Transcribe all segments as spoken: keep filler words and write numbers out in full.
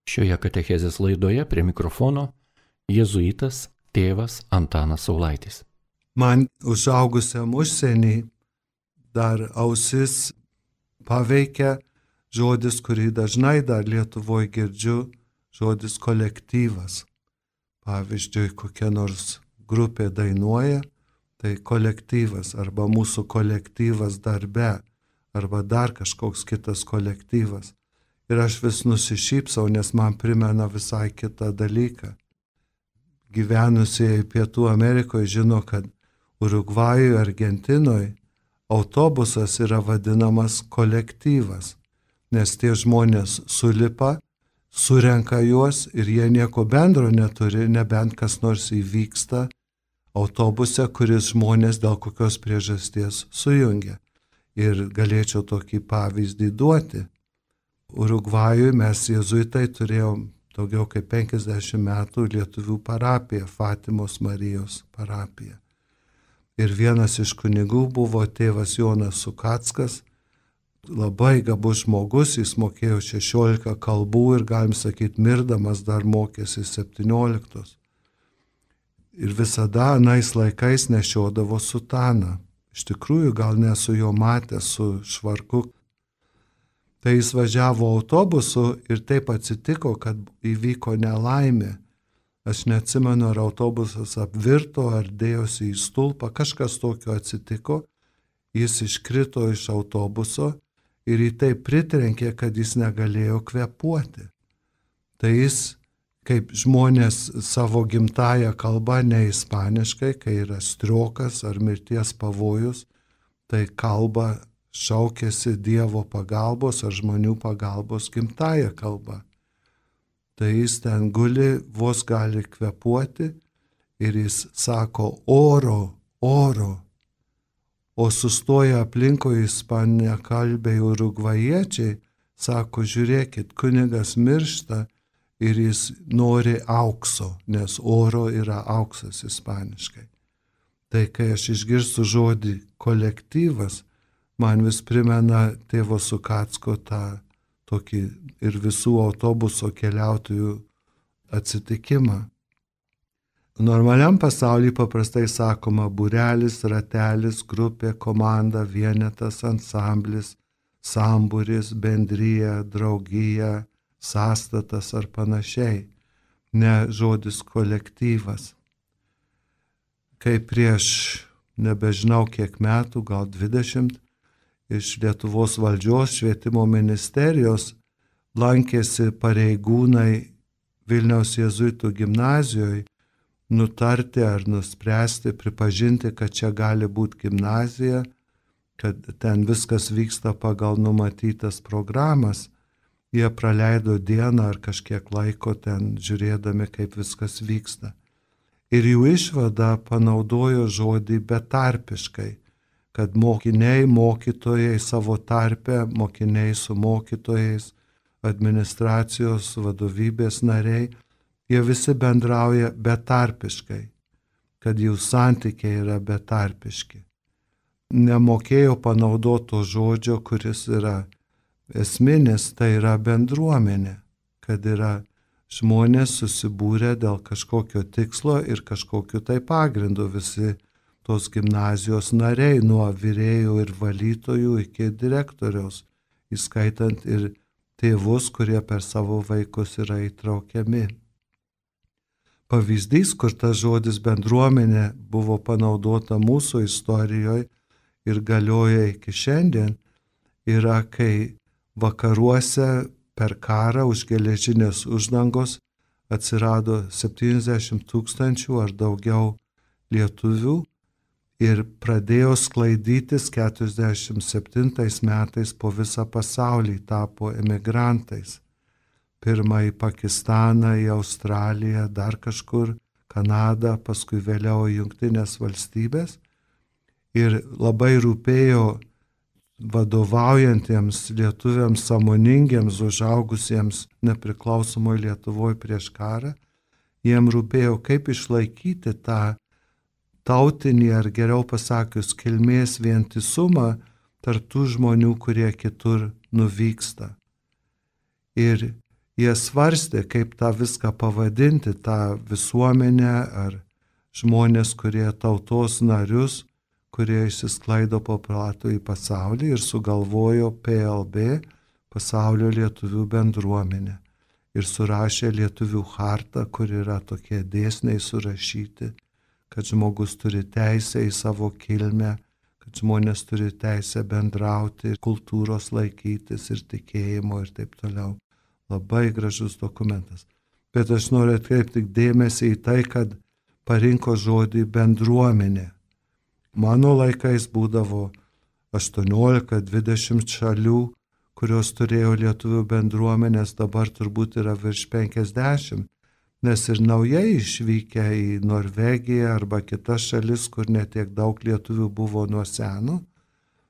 Šioje katechezės laidoje prie mikrofono jėzuitas tėvas Antanas Saulaitis. Man užaugusiam užsienį dar ausis paveikia žodis, kurį dažnai dar Lietuvoje girdžiu, žodis kolektyvas. Pavyzdžiui, kokia nors grupė dainuoja, tai kolektyvas arba mūsų kolektyvas darbe arba dar kažkoks kitas kolektyvas. Ir aš vis nusišypsau, nes man primena visai kitą dalyką. Gyvenusieji Pietų Amerikoje žino, kad Urugvajuje, Argentinoje autobusas yra vadinamas kolektyvas, nes tie žmonės sulipa, surenka juos ir jie nieko bendro neturi, nebent kas nors įvyksta autobuse, kuris žmonės dėl kokios priežasties sujungia. Ir galėčiau tokį pavyzdį duoti. Urugvajuje mes jėzuitai turėjom daugiau kaip penkiasdešimt metų lietuvių parapiją, Fatimos Marijos parapiją. Ir vienas iš kunigų buvo tėvas Jonas Sukackas, labai gabus žmogus, jis mokėjo šešiolika kalbų ir galim sakyti, mirdamas dar mokėsi septynioliktos. Ir visada anais laikais nešiodavo sutaną. Iš tikrųjų, gal nesu jo matęs su švarku. Tai jis važiavo autobusu ir taip atsitiko, kad įvyko nelaimė. Aš neatsimenu, ar autobusas apvirto, ar dėjosi į stulpą, kažkas tokio atsitiko. Jis iškrito iš autobuso ir jį taip pritrenkė, kad jis negalėjo kvėpuoti. Tai jis, kaip žmonės savo gimtąją kalbą, ne ispaniškai, kai yra striokas ar mirties pavojus, tai kalba šaukėsi Dievo pagalbos ar žmonių pagalbos gimtąją kalbą. Tai jis ten guli, vos gali kvėpuoti ir jis sako oro, oro. O sustoja aplinkoje ispaniakalbiai urugvajiečiai, sako, žiūrėkit, kunigas miršta ir jis nori aukso, nes oro yra auksas ispaniškai. Tai kai aš išgirstu žodį kolektyvas, man vis primena tėvo Sukacko tą tokį ir visų autobuso keliautojų atsitikimą. Normaliam pasaulyje paprastai sakoma būrelis, ratelis, grupė, komanda, vienetas, ansamblis, sambūris, bendrija, draugija, sąstatas ar panašiai, ne žodis kolektyvas. Kai prieš nebežinau kiek metų, gal dvidešimt, iš Lietuvos valdžios švietimo ministerijos lankėsi pareigūnai Vilniaus jėzuitų gimnazijoje nutarti ar nuspręsti, pripažinti, kad čia gali būti gimnazija, kad ten viskas vyksta pagal numatytas programas. Jie praleido dieną ar kažkiek laiko ten žiūrėdami, kaip viskas vyksta. Ir jų išvada panaudojo žodį betarpiškai, kad mokiniai, mokytojai savo tarpe, mokiniai su mokytojais, administracijos, vadovybės nariai, jie visi bendrauja betarpiškai, kad jų santykiai yra betarpiški. Nemokėjo panaudoto žodžio, kuris yra esminis, tai yra bendruomenė, kad yra žmonės susibūrę dėl kažkokio tikslo ir kažkokiu tai pagrindu visi tos gimnazijos nariai, nuo virėjų ir valytojų iki direktoriaus, įskaitant ir tėvus, kurie per savo vaikus yra įtraukiami. Pavyzdys, kur tas žodis bendruomenė buvo panaudota mūsų istorijoje ir galioja iki šiandien, yra kai vakaruose per karą už geležinės uždangos atsirado septyniasdešimt tūkstančių ar daugiau lietuvių ir pradėjo sklaidytis keturiasdešimt septintais metais po visą pasaulį, tapo emigrantais. Pirmą į Pakistaną, į Australiją, dar kažkur, Kanadą, paskui vėliau į Jungtinės valstybės. Ir labai rūpėjo vadovaujantiems lietuviams, sąmoningiems, užaugusiems nepriklausomoje Lietuvoje prieš karą, jiem rūpėjo, kaip išlaikyti tą tautinį, ar geriau pasakius, kilmės vientisumą tarp tų žmonių, kurie kitur nuvyksta. Ir jie svarstė, kaip tą viską pavadinti, tą visuomenę ar žmonės, kurie tautos narius, kurie išsisklaido po platų į pasaulį ir sugalvojo P L B, Pasaulio lietuvių bendruomenę. Ir surašė lietuvių chartą, kur yra tokie dėsniai surašyti, kad žmogus turi teisę į savo kilmę, kad žmonės turi teisę bendrauti, kultūros laikytis ir tikėjimo ir taip toliau. Labai gražus dokumentas. Bet aš noriu atkreipti dėmesį į tai, kad parinko žodį bendruomenė. Mano laikais būdavo aštuoniolika dvidešimt šalių, kurios turėjo lietuvių bendruomenės, dabar turbūt yra virš penkiasdešimt, nes ir naujai išvykę į Norvegiją arba kitas šalis, kur netiek daug lietuvių buvo nuo seno,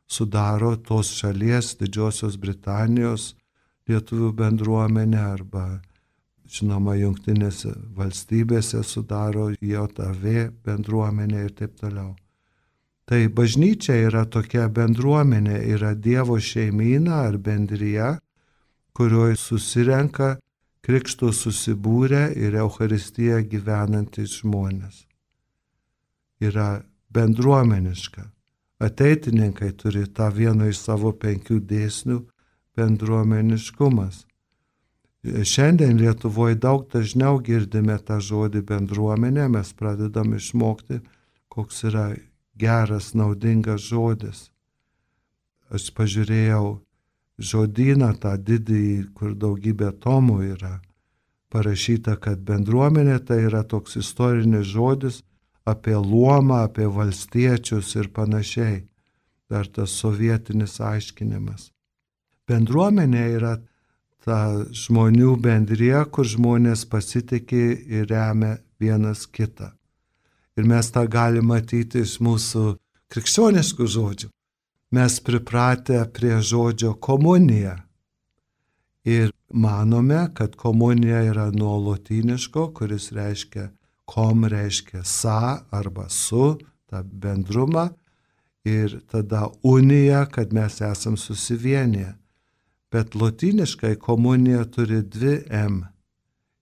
sudaro tos šalies, Didžiosios Britanijos lietuvių bendruomenę arba, žinoma, Jungtinėse valstybėse sudaro J V bendruomenė ir taip toliau. Tai bažnyčia yra tokia bendruomenė, yra Dievo šeimyna ar bendrija, kurioje susirenka krikšto susibūrę ir Eucharistiją gyvenantys žmonės. Yra bendruomeniška. Ateitininkai turi tą vieną iš savo penkių dėsnių bendruomeniškumas. Šiandien Lietuvoje daug dažniau girdime tą žodį bendruomenė, mes pradedam išmokti, koks yra geras, naudingas žodis. Aš pažiūrėjau žodyną tą didįjį, kur daugybė tomų yra. Parašyta, kad bendruomenė tai yra toks istorinis žodis apie luomą, apie valstiečius ir panašiai. Dar tas sovietinis aiškinimas. Bendruomenė yra ta žmonių bendrija, kur žmonės pasitikė ir remia vienas kitą. Ir mes tą galime matyti iš mūsų krikščioniškų žodžių. Mes pripratę prie žodžio komunija. Ir manome, kad komunija yra nuo lotyniško, kuris reiškia kom, reiškia sa arba su, tą bendrumą. Ir tada unija, kad mes esam susivienyje. Bet lotyniškai komunija turi dvi M.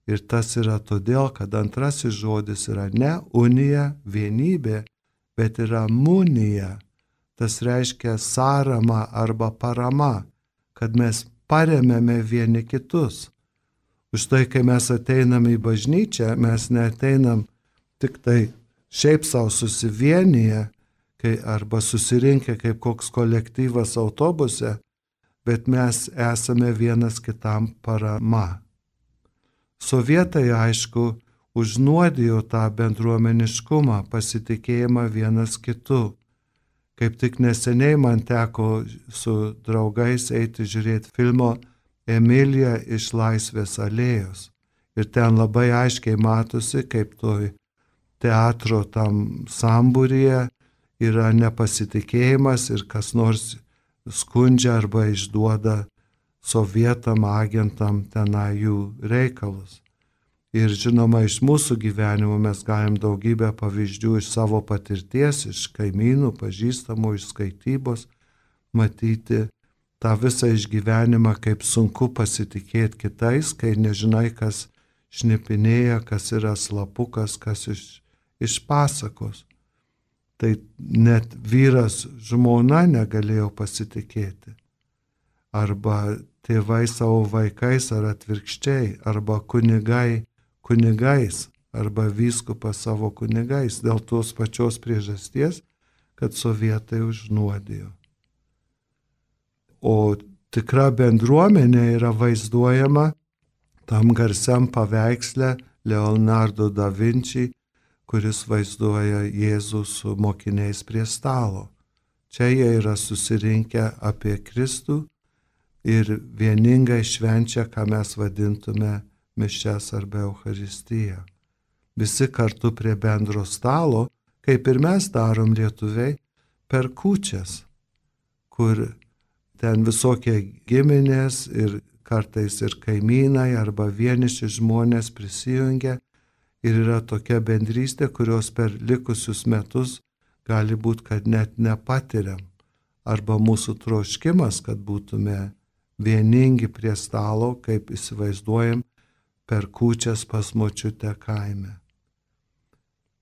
Ir tas yra todėl, kad antrasis žodis yra ne unija, vienybė, bet yra munija. Tas reiškia sąrama arba parama, kad mes paremėme vieni kitus. Už tai, kai mes ateinam į bažnyčią, mes neateinam tik tai šiaip savo susivienyje, kai arba susirinkę kaip koks kolektyvas autobuse, bet mes esame vienas kitam parama. Sovietai, aišku, užnuodijo tą bendruomeniškumą, pasitikėjimą vienas kitu. Kaip tik neseniai man teko su draugais eiti žiūrėti filmo Emilija iš Laisvės alėjos. Ir ten labai aiškiai matosi, kaip toj teatro tam sambūryje yra nepasitikėjimas ir kas nors skundžia arba išduoda sovietam agentam tenai jų reikalus. Ir žinoma, iš mūsų gyvenimo mes galim daugybę pavyzdžių iš savo patirties, iš kaimynų, pažįstamų, iš skaitybos, matyti tą visą išgyvenimą, kaip sunku pasitikėti kitais, kai nežinai, kas šnipinėja, kas yra slapukas, kas iš, iš pasakos. Tai net vyras žmona negalėjo pasitikėti. Arba tėvai savo vaikais ar atvirkščiai, arba kunigai kunigais, arba vyskupas savo kunigais, dėl tos pačios priežasties, kad sovietai užnuodijo. O tikra bendruomenė yra vaizduojama tam garsiam paveiksle Leonardo da Vinci, kuris vaizduoja Jėzų su mokiniais prie stalo. Čia jie yra susirinkę apie Kristų ir vieningai švenčia, ką mes vadintume mišias arba Eucharistiją. Visi kartu prie bendro stalo, kaip ir mes darom lietuviai, per kūčias, kur ten visokie giminės ir kartais ir kaimynai arba vieniši žmonės prisijungia ir yra tokia bendrystė, kurios per likusius metus gali būti, kad net nepatiriam. Arba mūsų troškimas, kad būtume vieningi prie stalo, kaip įsivaizduojam per kūčias pas močiutę kaime.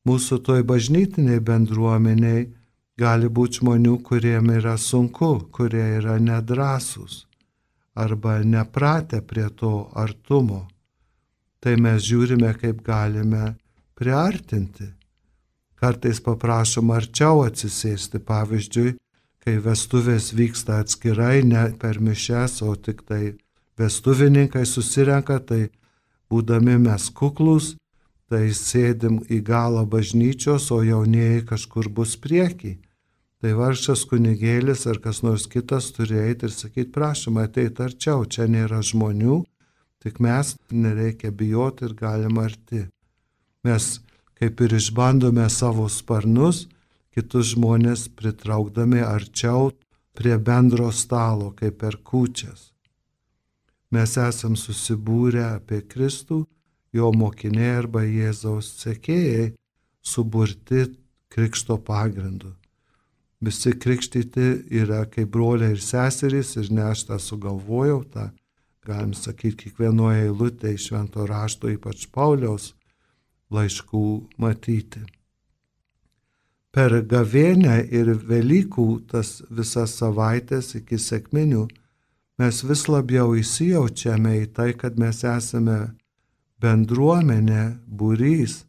Mūsų toj bažnytiniai bendruomeniai gali būti žmonių, kuriem yra sunku, kurie yra nedrąsūs arba nepratę prie to artumo. Tai mes žiūrime, kaip galime priartinti. Kartais paprašom arčiau atsisėsti, pavyzdžiui, kai vestuvės vyksta atskirai, ne per mišias, o tik tai vestuvininkai susirenka, tai būdami mes kuklus, tai sėdim į galą bažnyčios, o jaunieji kažkur bus priekį. Tai vargšas kunigėlis ar kas nors kitas turi eiti ir sakyti, prašom, ateit arčiau, čia nėra žmonių, tik mes, nereikia bijoti ir galim arti. Mes kaip ir išbandome savo sparnus, kitus žmonės pritraukdami arčiau prie bendro stalo, kaip per kūčias. Mes esam susibūrę apie Kristų, jo mokiniai arba Jėzaus sekėjai, suburti krikšto pagrindu. Visi krikštyti yra kaip broliai ir seserys ir ne aš tą sugalvojau, tą galim sakyti kiekvienoje eilutėje iš Švento rašto, ypač Pauliaus laiškų matyti. Per gavėnią ir Velykų tas visas savaitės iki sekminių mes vis labiau įsijaučiame į tai, kad mes esame bendruomenė, būrys,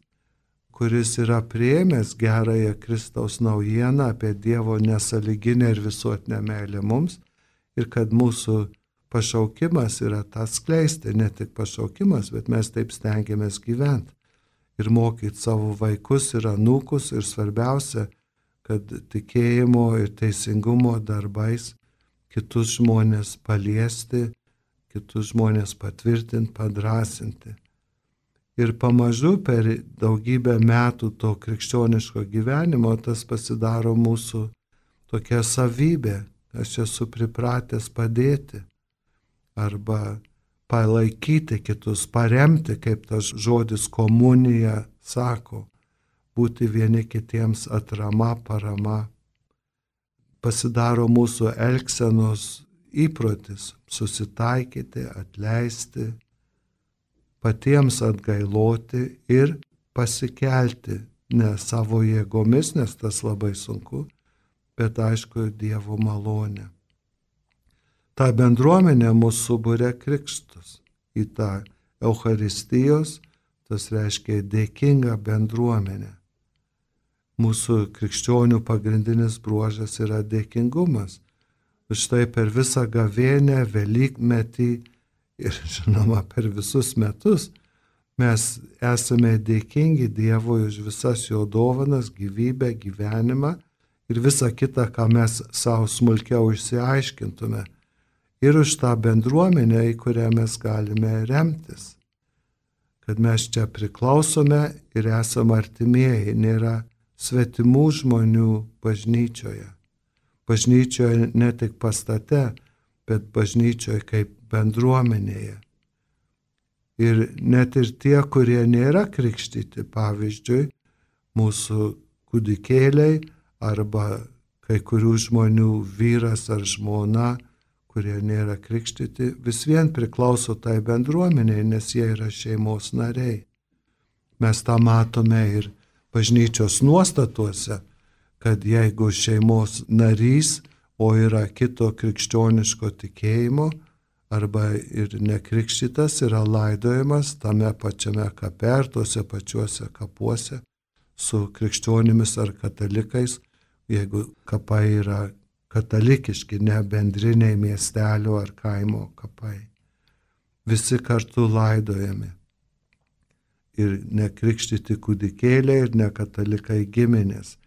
kuris yra priėmęs gerąją Kristaus naujieną apie Dievo nesąlyginę ir visuotinę meilę mums ir kad mūsų pašaukimas yra tas skleisti, ne tik pašaukimas, bet mes taip stengiamės gyventi ir mokyti savo vaikus ir anūkus ir svarbiausia, kad tikėjimo ir teisingumo darbais kitus žmonės paliesti, kitus žmonės patvirtinti, padrasinti. Ir pamažu per daugybę metų to krikščioniško gyvenimo tas pasidaro mūsų tokia savybė. Aš esu pripratęs padėti arba palaikyti kitus, paremti, kaip tas žodis komunija sako, būti vieni kitiems atrama, parama. Pasidaro mūsų elgsenos įprotis susitaikyti, atleisti, patiems atgailoti ir pasikelti, ne savo jėgomis, nes tas labai sunku, bet aišku Dievo malonė. Ta bendruomenė mūsų suburia krikštus į tą Eucharistijos, tas reiškia dėkingą bendruomenę. Mūsų krikščionių pagrindinis bruožas yra dėkingumas. Štai per visą gavėnę, Velykmetį ir žinoma per visus metus mes esame dėkingi Dievui už visas jo dovanas, gyvybę, gyvenimą ir visą kitą, ką mes savo smulkiau išsiaiškintume. Ir už tą bendruomenę, į kurią mes galime remtis. Kad mes čia priklausome ir esame artimieji, nėra svetimų žmonių bažnyčioje. Bažnyčioje ne tik pastate, bet bažnyčioje kaip bendruomenėje. Ir net ir tie, kurie nėra krikštyti, pavyzdžiui, mūsų kūdikėliai arba kai kurių žmonių vyras ar žmona, kurie nėra krikštyti, vis vien priklauso tai bendruomeniai, nes jie yra šeimos nariai. Mes tą matome ir bažnyčios nuostatuose, kad jeigu šeimos narys, o yra kito krikščioniško tikėjimo, arba ir nekrikštytas, yra laidojamas tame pačiame kape ar tuose pačiuose kapuose su krikščionimis ar katalikais, jeigu kapai yra katalikiški, ne bendriniai miestelio ar kaimo kapai. Visi kartu laidojami. Ir nekrikštyti kūdikėliai, ir nekatalikai giminės.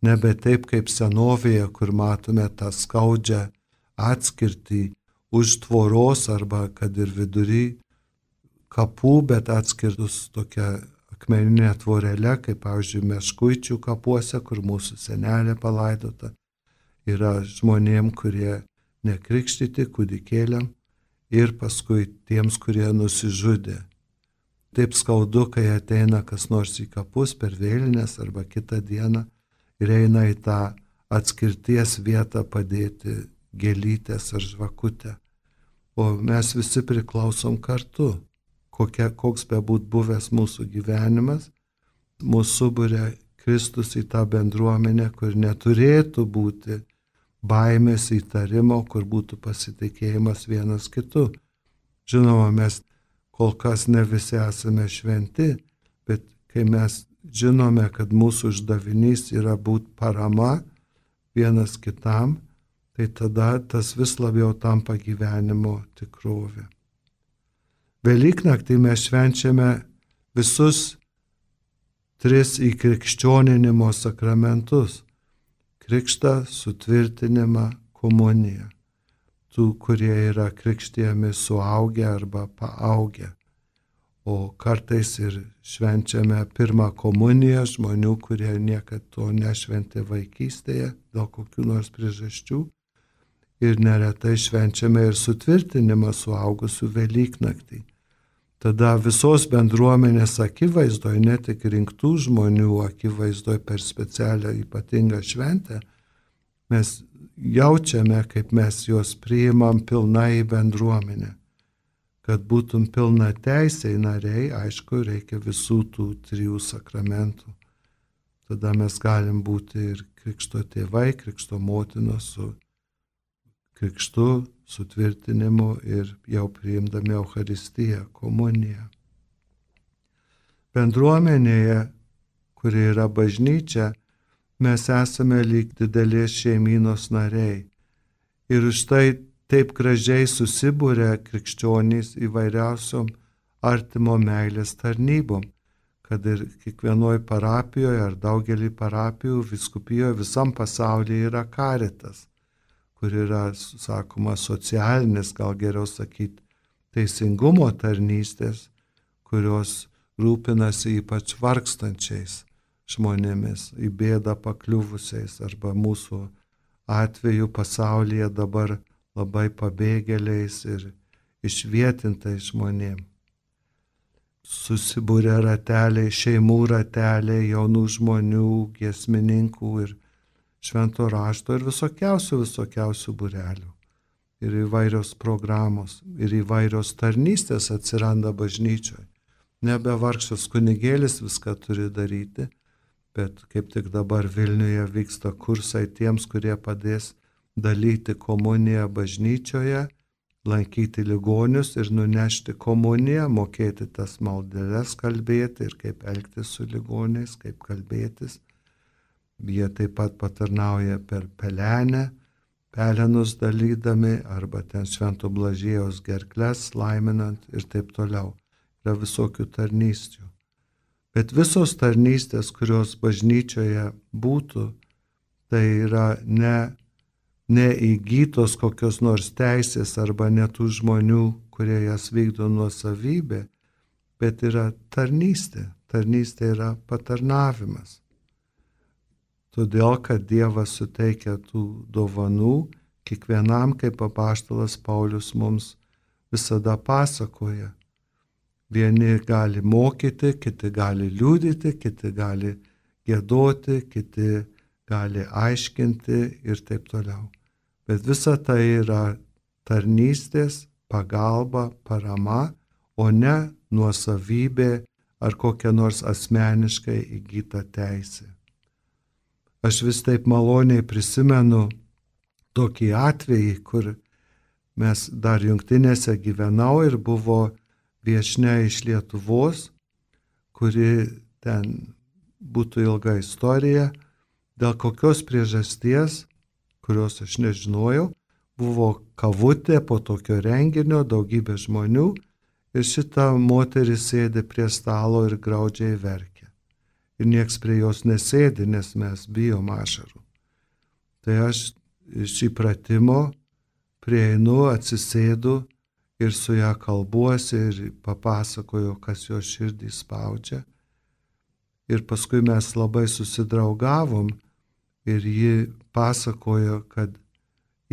Nebe taip kaip senovėje, kur matome tą skaudžią atskirtį už tvoros arba kad ir vidury kapų, bet atskirtus tokia akmeninė tvorelė, kaip pavyzdžiui Meškuičių kapuose, kur mūsų senelė palaidota. Yra žmonėm, kurie nekrikštyti kūdikėliam ir paskui tiems, kurie nusižudė. Taip skaudu, kai ateina kas nors į kapus per vėlines arba kitą dieną ir eina į tą atskirties vietą padėti gėlytės ar žvakutę. o mes visi priklausom kartu. Kokia, koks bebūt buvęs mūsų gyvenimas, mūsų suburia Kristus į tą bendruomenę, kur neturėtų būti baimės, įtarimo, kur būtų pasitikėjimas vienas kitu. Žinoma, mes kol kas ne visi esame šventi, bet kai mes žinome, kad mūsų uždavinys yra būti parama vienas kitam, tai tada tas vis labiau tampa gyvenimo tikrovė. Velyknaktį mes švenčiame visus tris įkrikščioninimo sakramentus - krikštą, sutvirtinimą, komuniją. Tų, kurie yra krikštijami suaugę arba paaugę. O kartais ir švenčiame pirmą komuniją žmonių, kurie niekad to nešventė vaikystėje dėl kokių nors priežasčių. Ir neretai švenčiame ir sutvirtinimą suaugusių Velyknaktį. Tada visos bendruomenės akivaizdoje, ne tik rinktų žmonių akivaizdoje per specialią ypatingą šventę, mes jaučiame, kaip mes juos priimam pilnai į bendruomenę. Kad būtum pilna teisiai nariai, aišku, reikia visų tų trijų sakramentų. Tada mes galim būti ir krikšto tėvai, krikšto motinos su krikštu, sutvirtinimu ir jau priimdami Eucharistiją, komuniją. Bendruomenėje, kuri yra bažnyčia, mes esame lyg didelės šeimynos nariai. Ir už tai taip gražiai susibūrė krikščionys įvairiausiom artimo meilės tarnybom, kad ir kiekvienoje parapijoje ar daugelį parapijų, vyskupijoje, visam pasaulyje yra karitas, kur yra, sakoma, socialinis, gal geriau sakyti, teisingumo tarnystės, kurios rūpinasi ypač vargstančiais žmonėmis, į bėdą pakliuvusiais arba mūsų atveju pasaulyje dabar labai pabėgėliais ir išvietintais žmonėm. Susibūrė rateliai, šeimų rateliai, jaunų žmonių, giesmininkų ir švento rašto ir visokiausių, visokiausių būrelių. Ir įvairios programos, ir įvairios tarnystės atsiranda bažnyčioje. Nebe vargšas kunigėlis viską turi daryti, bet kaip tik dabar Vilniuje vyksta kursai tiems, kurie padės dalyti komuniją bažnyčioje, lankyti ligonius ir nunešti komuniją, mokėti tas maldeles kalbėti ir kaip elgtis su ligoniais, kaip kalbėtis. Jie taip pat patarnauja per pelenę, pelenus dalydami arba ten Švento Blažiejaus gerkles laiminant ir taip toliau. Yra visokių tarnysčių. Bet visos tarnystės, kurios bažnyčioje būtų, tai yra ne, ne įgytos kokios nors teisės arba ne tų žmonių, kurie jas vykdo nuosavybė, bet yra tarnystė. Tarnystė yra patarnavimas. Todėl, kad Dievas suteikia tų dovanų, kiekvienam, kaip apaštalas Paulius mums visada pasakoja. Vieni gali mokyti, kiti gali liudyti, kiti gali giedoti, kiti gali aiškinti ir taip toliau. Bet visa tai yra tarnystės, pagalba, parama, o ne nuosavybė ar kokia nors asmeniškai įgyta teisė. Aš vis taip maloniai prisimenu tokį atvejį, kur mes dar Jungtinėse gyvenau ir buvo viešnia iš Lietuvos, kuri ten būtų ilga istorija, dėl kokios priežasties, kurios aš nežinojau, buvo kavutė po tokio renginio, daugybė žmonių ir šita moteris sėdi prie stalo ir graudžiai verkia. Ir nieks prie jos nesėdi, nes mes bijom ašarų. Tai aš iš įpratimo prieinu, atsisėdu ir su ją kalbuosi ir papasakoju, kas jo širdį spaudžia. Ir paskui mes labai susidraugavom ir ji pasakojo, kad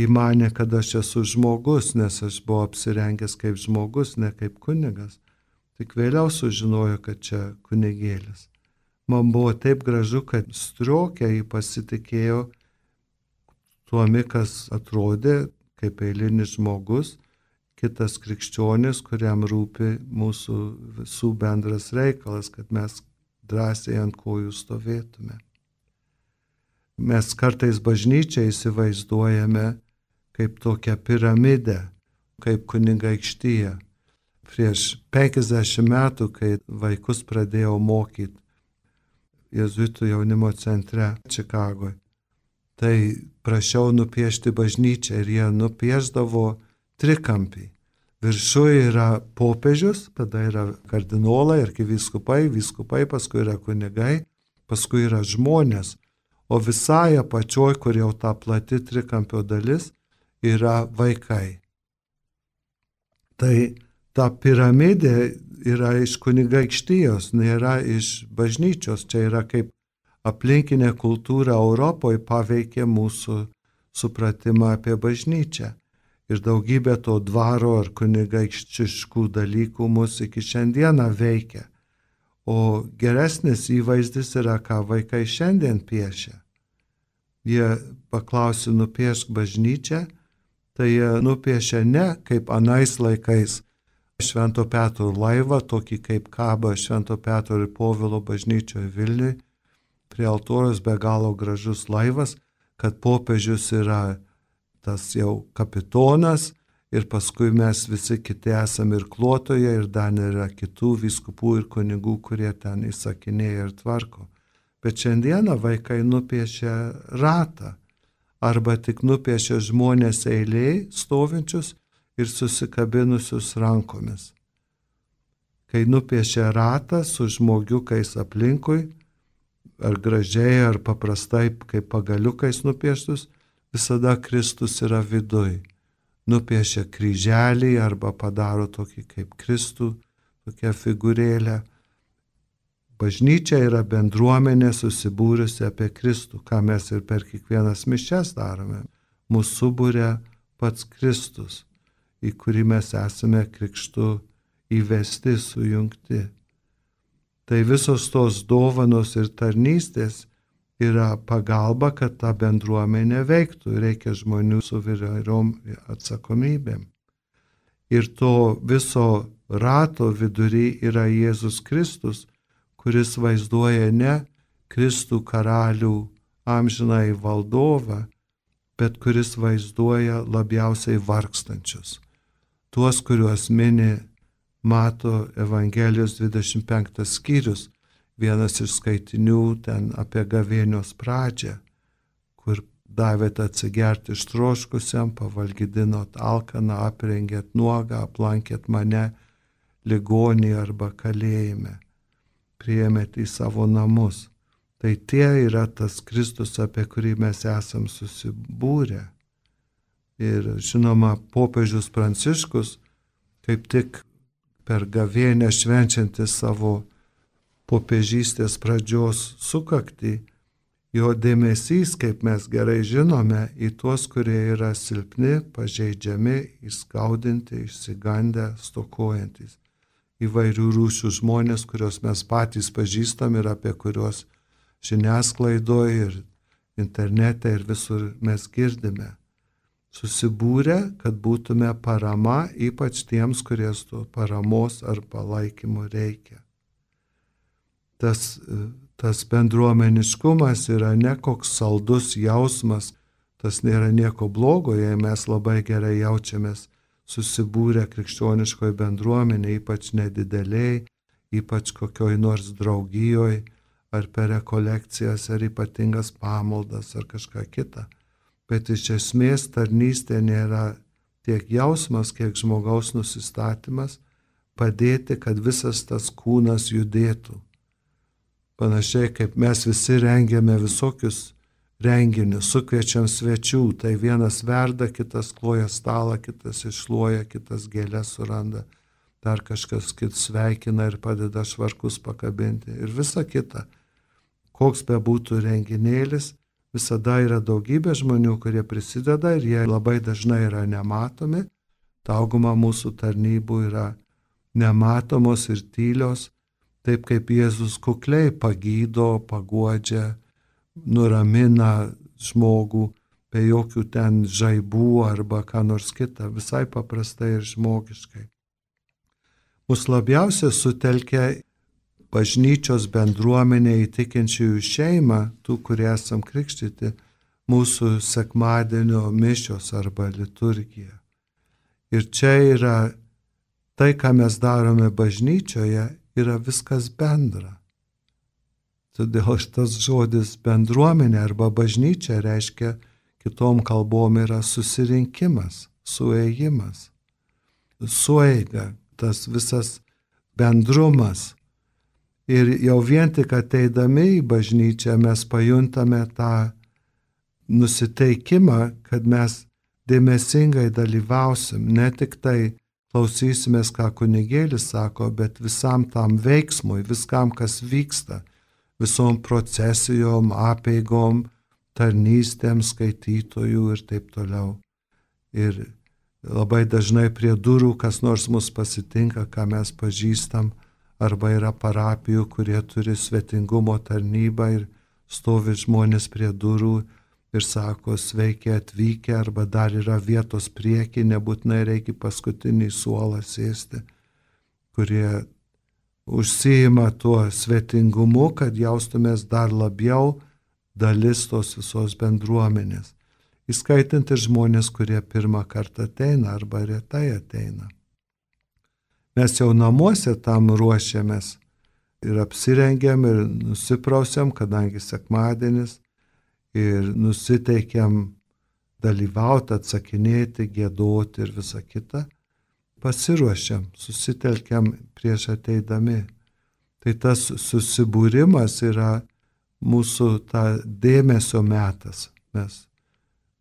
įmanė, kad aš esu žmogus, nes aš buvau apsirengęs kaip žmogus, ne kaip kunigas. Tik vėliau sužinojo, kad čia kunigėlis. Man buvo taip gražu, kad striokė jį pasitikėjo tuomi, kas atrodė kaip eilinis žmogus, kitas krikščionis, kuriam rūpi mūsų visų bendras reikalas, kad mes drąsiai ant kojų stovėtume. Mes kartais bažnyčią įsivaizduojame kaip tokią piramidę, kaip kunigaikštiją. Prieš penkiasdešimt metų, kai vaikus pradėjau mokyti Jėzuitų jaunimo centre Čikagoje, tai prašiau nupiešti bažnyčią ir jie nupiešdavo trikampį. Viršuje yra popiežius, tada yra kardinolai, arkivyskupai, vyskupai, paskui yra kunigai, paskui yra žmonės. O visai apačioj, kur jau ta plati trikampio dalis, yra vaikai. Tai ta piramidė yra iš kunigaikštijos, nėra iš bažnyčios. Čia yra kaip aplinkinė kultūra Europoje paveikė mūsų supratimą apie bažnyčią. Ir daugybė to dvaro ar kunigaikštiškų dalykų mus iki šiandieną veikia. O geresnis įvaizdis yra, ką vaikai šiandien piešia. Jie paklausė nupiešk bažnyčią, tai jie nupiešia ne kaip anais laikais Švento Petro laivą, tokį kaip kaba Švento Petro ir Povilo bažnyčioje Vilniuje, prie altoriaus be galo gražus laivas, kad popiežius yra tas jau kapitonas ir paskui mes visi kiti esame ir klotoje ir dar yra kitų vyskupų ir kunigų, kurie ten įsakinėja ir tvarko. Bet šiandieną vaikai nupiešia ratą arba tik nupiešia žmonės eiliai stovinčius ir susikabinusius rankomis. Kai nupiešia ratą su žmogiukais aplinkui, ar gražiai, ar paprastai, kaip pagaliukais nupieštus, visada Kristus yra viduj. Nupiešia kryželį arba padaro tokį kaip Kristų, tokią figūrėlę. Bažnyčia yra bendruomenė susibūrusi apie Kristų, ką mes ir per kiekvienas mišias darome. Mūsų subūrė pats Kristus, į kurį mes esame krikštu įvesti, sujungti. Tai visos tos dovanos ir tarnystės yra pagalba, kad ta bendruomenė veiktų. Reikia žmonių su įvairiom atsakomybėm. Ir to viso rato vidury yra Jėzus Kristus, kuris vaizduoja ne Kristų karalių amžinai valdovą, bet kuris vaizduoja labiausiai vargstančius. Tuos, kuriuos mini Mato Evangelijos dvidešimt penktas skyrius, vienas iš skaitinių ten apie gavėnios pradžią, kur davėt atsigerti ištroškusiam, pavalgydinot alkaną, aprengėt nuogą, aplankėt mane ligonį arba kalėjime, priėmėt į savo namus. Tai tie yra tas Kristus, apie kurį mes esam susibūrę. Ir žinoma, popiežius Pranciškus, kaip tik per gavėnę švenčiantis savo popiežystės pradžios sukaktį, jo dėmesys, kaip mes gerai žinome, į tuos, kurie yra silpni, pažeidžiami, įskaudinti, išsigandę, stokojantys. Įvairių rūšių žmonės, kuriuos mes patys pažįstam ir apie kuriuos žiniasklaidoje ir internete ir visur mes girdime. Susibūrę, kad būtume parama, ypač tiems, kurie to paramos ar palaikymo reikia. Tas, tas bendruomeniškumas yra ne koks saldus jausmas, tas nėra nieko blogo, jei mes labai gerai jaučiamės susibūrę krikščioniškoje bendruomenėje, ypač nedideliai, ypač kokioj nors draugijoje, ar per rekolekcijas, ar ypatingas pamaldas, ar kažką kitą. Bet iš esmės tarnystė nėra tiek jausmas, kiek žmogaus nusistatymas padėti, kad visas tas kūnas judėtų. Panašiai kaip mes visi rengiame visokius renginius, sukviečiam svečių, tai vienas verda, kitas kloja stalą, kitas iššluoja, kitas gėlės suranda, dar kažkas kitas sveikina ir padeda švarkus pakabinti ir visa kita. Koks bebūtų renginėlis, visada yra daugybė žmonių, kurie prisideda ir jie labai dažnai yra nematomi. Dauguma mūsų tarnybų yra nematomos ir tylios, taip kaip Jėzus kukliai pagydo, paguodžia, nuramina žmogų, be jokių ten žaibų arba ką nors kita, visai paprastai ir žmogiškai. Mus labiausiai sutelkia bažnyčios bendruomenė į tikinčiųjų šeimą, tų, kurie esam krikštyti, mūsų sekmadienio mišios arba liturgija. Ir čia yra tai, ką mes darome bažnyčioje, yra viskas bendra. Todėl šitas žodis bendruomenė arba bažnyčia reiškia kitom kalbom yra susirinkimas, suėjimas, sueiga, tas visas bendrumas. Ir jau vien tik ateidami į bažnyčią mes pajuntame tą nusiteikimą, kad mes dėmesingai dalyvausim, ne tik tai klausysimės, ką kunigėlis sako, bet visam tam veiksmui, viskam, kas vyksta, visom procesijom, apeigom, tarnystėm, skaitytojų ir taip toliau. Ir labai dažnai prie durų kas nors mus pasitinka, ką mes pažįstam, arba yra parapijų, kurie turi svetingumo tarnybą ir stovi žmonės prie durų ir sako, sveiki atvykę, arba dar yra vietos prieki, nebūtinai reikia paskutinį suolą sėsti, kurie užsiima tuo svetingumu, kad jaustumės dar labiau dalis tos visos bendruomenės, įskaitant ir žmonės, kurie pirmą kartą ateina arba retai ateina. Mes jau namuose tam ruošiamės ir apsirengiam ir nusiprausiam, kadangi sekmadienis, ir nusiteikiam dalyvauti, atsakinėti, giedoti ir visa kita, pasiruošiam, susitelkiam prieš ateidami. Tai tas susibūrimas yra mūsų ta dėmesio metas. Mes,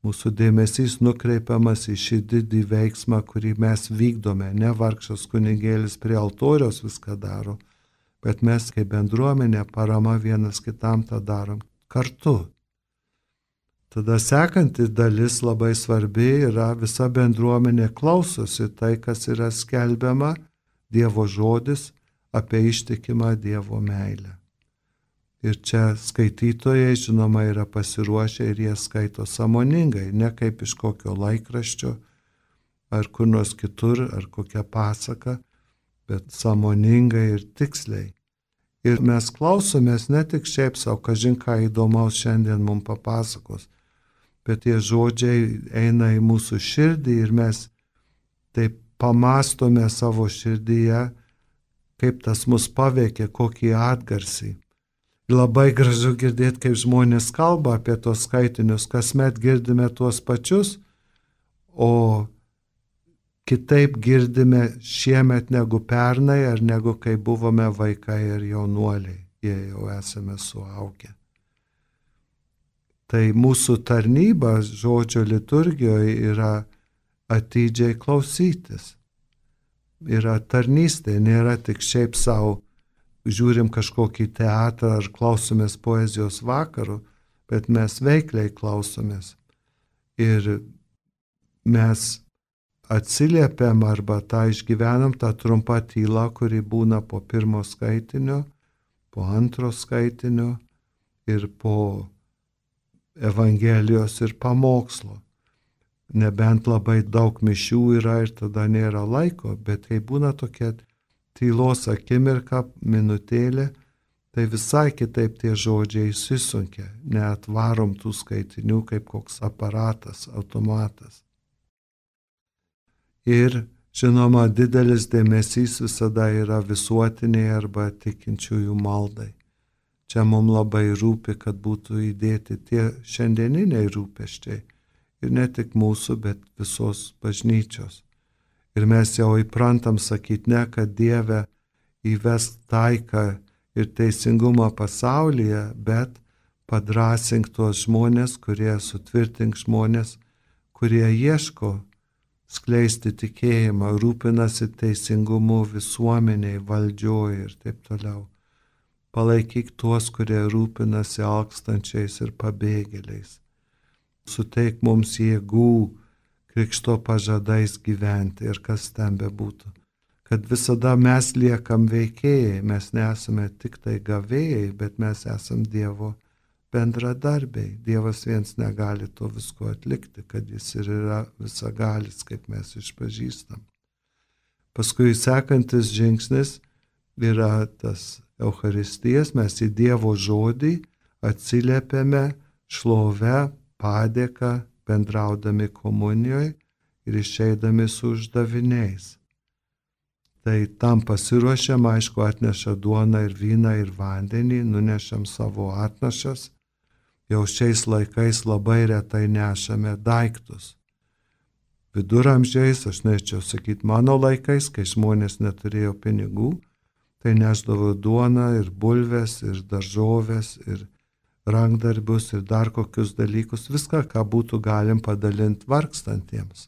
mūsų dėmesys nukreipiamas į šį didį veiksmą, kurį mes vykdome. Ne vargšas kunigėlis prie altoriaus viską daro, bet mes kaip bendruomenė parama vienas kitam tą darom kartu. Tada sekanti dalis labai svarbi yra visa bendruomenė klausosi tai, kas yra skelbiama, Dievo žodis apie ištikimą Dievo meilę. Ir čia skaitytojai, žinoma, yra pasiruošę ir jie skaito sąmoningai, ne kaip iš kokio laikraščio ar kur nors kitur, ar kokią pasaką, bet sąmoningai ir tiksliai. Ir mes klausomės ne tik šiaip savo, kažin ką įdomaus šiandien mums papasakos, bet tie žodžiai eina į mūsų širdį ir mes taip pamastome savo širdyje, kaip tas mus paveikia, kokį atgarsį. Labai gražu girdėti, kaip žmonės kalba apie tos skaitinius, kasmet girdime tuos pačius, o kitaip girdime šiemet negu pernai ar negu kai buvome vaikai ir jaunuoliai, jie jau esame suaugę. Tai mūsų tarnyba žodžio liturgijoje yra atidžiai klausytis. Yra tarnystė, nėra tik šiaip savo, žiūrim kažkokį teatrą ar klausomės poezijos vakarų, bet mes veikliai klausomės. Ir mes atsiliepiam arba tą išgyvenam, tą trumpą tylą, kuri būna po pirmo skaitinio, po antro skaitinio ir po Evangelijos ir pamokslo. Nebent labai daug mišių yra ir tada nėra laiko, bet kai būna tokia tylos akimirka, minutėlė, tai visai kitaip tie žodžiai įsisunkia, neatvarom tų skaitinių kaip koks aparatas, automatas. Ir, žinoma, didelis dėmesys visada yra visuotiniai arba tikinčiųjų maldai. Čia mums labai rūpi, kad būtų įdėti tie šiandieniniai rūpesčiai. Ir ne tik mūsų, bet visos bažnyčios. Ir mes jau įprantam sakyti ne, kad Dieve įvesk taiką ir teisingumą pasaulyje, bet padrąsink tuos žmonės, kurie sutvirtink žmonės, kurie ieško skleisti tikėjimą, rūpinasi teisingumu visuomeniai, valdžioje ir taip toliau. Palaikyk tuos, kurie rūpinasi alkstančiais ir pabėgėliais. Suteik mums jėgų krikšto pažadais gyventi ir kas ten bebūtų. Kad visada mes liekam veikėjai, mes nesame tik tai gavėjai, bet mes esam Dievo bendradarbiai. Dievas viens negali to visko atlikti, kad jis ir yra visagalis, kaip mes išpažįstam. Paskui sekantis žingsnis yra tas Eucharistijas, mes į Dievo žodį atsiliepiame šlovę, padėką, bendraudami komunijoje ir išeidami su uždaviniais. Tai tam pasiruošiam, aišku, atneša duoną ir vyną ir vandenį, nunešam savo atnašas. Jau šiais laikais labai retai nešame daiktus. Viduramžiais, aš norėčiau sakyti, mano laikais, kai žmonės neturėjo pinigų, tai nešdavo duoną ir bulves, ir daržovės, ir rankdarbius, ir dar kokius dalykus, viską, ką būtų galim padalinti vargstantiems.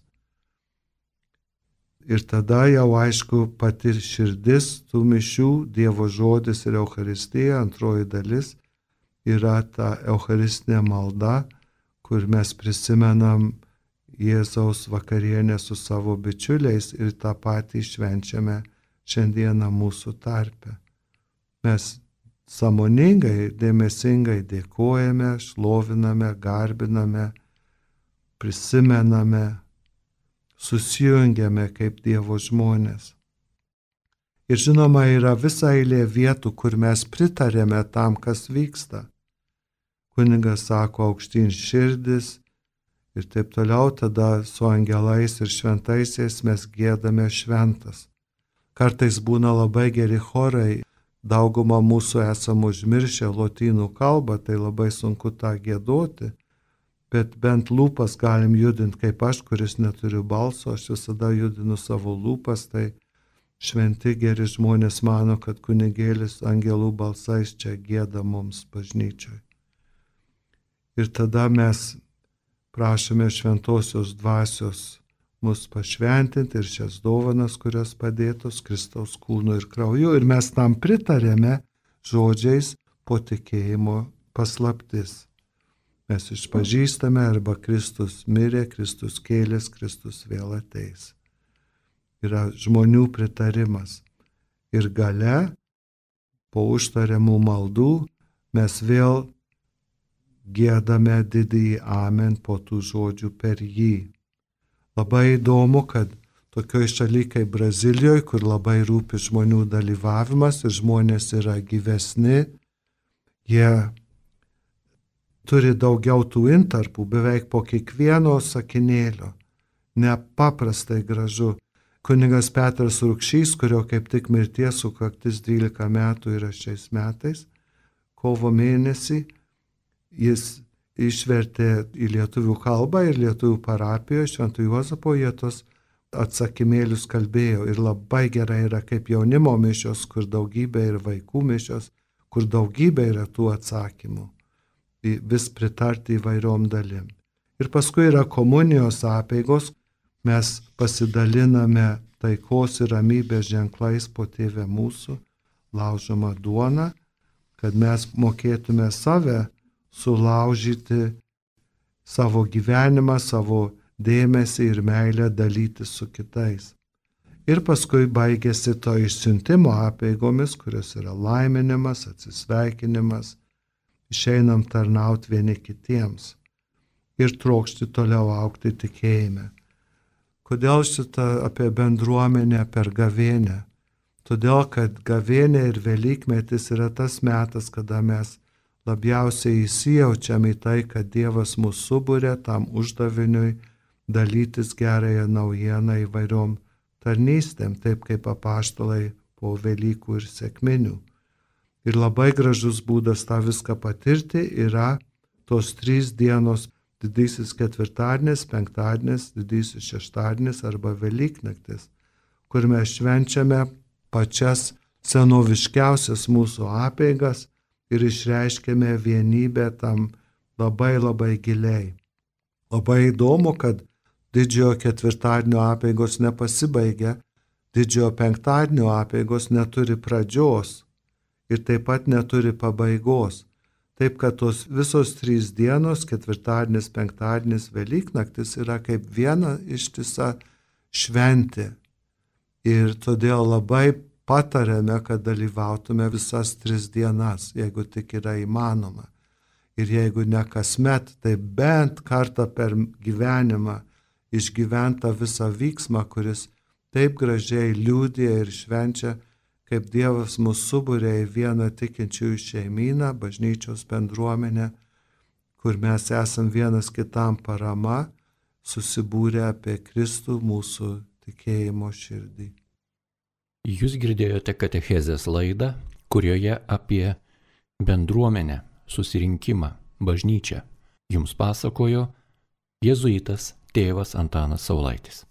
Ir tada jau aišku pati širdis tų mišių, Dievo žodis ir Eucharistija, antroji dalis, yra ta eucharistinė malda, kur mes prisimenam Jėzaus vakarienę su savo bičiuliais ir tą patį švenčiame šiandieną mūsų tarpe. Mes sąmoningai, dėmesingai dėkojame, šloviname, garbiname, prisimename, susijungiame kaip Dievo žmonės. Ir žinoma, yra visa eilė vietų, kur mes pritarėme tam, kas vyksta. Kunigas sako aukštyn širdis ir taip toliau, tada su angelais ir šventaisiais mes giedame šventas. Kartais būna labai geri chorai, dauguma mūsų esam užmiršę lotynų kalbą, tai labai sunku tą giedoti, bet bent lūpas galim judinti, kaip aš, kuris neturiu balso, aš visada judinu savo lūpas, tai šventi geri žmonės mano, kad kunigėlis angelų balsais čia gieda mums bažnyčioj. Ir tada mes prašome šventosios dvasios mus pašventinti ir šias dovanas, kurios padėtos Kristaus kūnu ir krauju. Ir mes tam pritarėme žodžiais po tikėjimo paslaptis. Mes išpažįstame arba Kristus mirė, Kristus kėlės, Kristus vėl ateis. Yra žmonių pritarimas. Ir gale, po užtariamų maldų, mes vėl giedame didįjį amen po tų žodžių per jį. Labai įdomu, kad tokioj šaly kaip Brazilijoje, kur labai rūpi žmonių dalyvavimas ir žmonės yra gyvesni, jie turi daugiau tų intarpų, beveik po kiekvieno sakinėlio. Nepaprastai gražu. Kunigas Petras Rukšys, kurio kaip tik mirties sukaktis dvylika metų yra šiais metais, kovo mėnesį, jis išvertė į lietuvių kalbą ir lietuvių parapijoje Švento Juozapo jie tos atsakymėlius kalbėjo. Ir labai gerai yra kaip jaunimo mišios, kur daugybė ir vaikų mišios, kur daugybė yra tų atsakymų. Vis pritarti įvairiom dalim. Ir paskui yra komunijos apeigos, mes pasidaliname taikos ir ramybės ženklais po Tėve mūsų, laužoma duona, kad mes mokėtume save sulaužyti, savo gyvenimą, savo dėmesį ir meilę dalyti su kitais. Ir paskui baigėsi to išsiuntimo apeigomis, kurios yra laiminimas, atsisveikinimas, išeinam tarnauti vieni kitiems ir trokšti toliau augti tikėjime. Kodėl šitą apie bendruomenę per gavėnią? Todėl, kad gavėnė ir Velykmetis yra tas metas, kada mes labiausiai įsijaučiam į tai, kad Dievas mus subūrė tam uždaviniui dalytis gerąją naujieną įvairiom tarnystėm, taip kaip apaštalai po Velykų ir sekminių. Ir labai gražus būdas tą viską patirti yra tos trys dienos – didysis ketvirtadienis, penktadienis, didysis šeštadienis arba Velyknaktis, kur mes švenčiame pačias senoviškiausias mūsų apeigas ir išreiškėme vienybę tam labai labai giliai. Labai įdomu, kad didžiojo ketvirtadienio apeigos nepasibaigia, didžiojo penktadienio apeigos neturi pradžios ir taip pat neturi pabaigos. Taip, kad tos visos trys dienos, ketvirtadienis, penktadienis, Velyknaktis yra kaip viena ištisa šventė. Ir todėl labai patarėme, kad dalyvautume visas tris dienas, jeigu tik yra įmanoma. ir jeigu ne kasmet, tai bent kartą per gyvenimą išgyventa visą vyksmą, kuris taip gražiai liūdė ir švenčia, kaip Dievas mus subūrė į vieną tikinčiųjų šeimyną, bažnyčios bendruomenę, kur mes esam vienas kitam parama, susibūrę apie Kristų mūsų tikėjimo širdį. Jūs girdėjote katechezės laidą, kurioje apie bendruomenę, susirinkimą, bažnyčią jums pasakojo jėzuitas tėvas Antanas Saulaitis.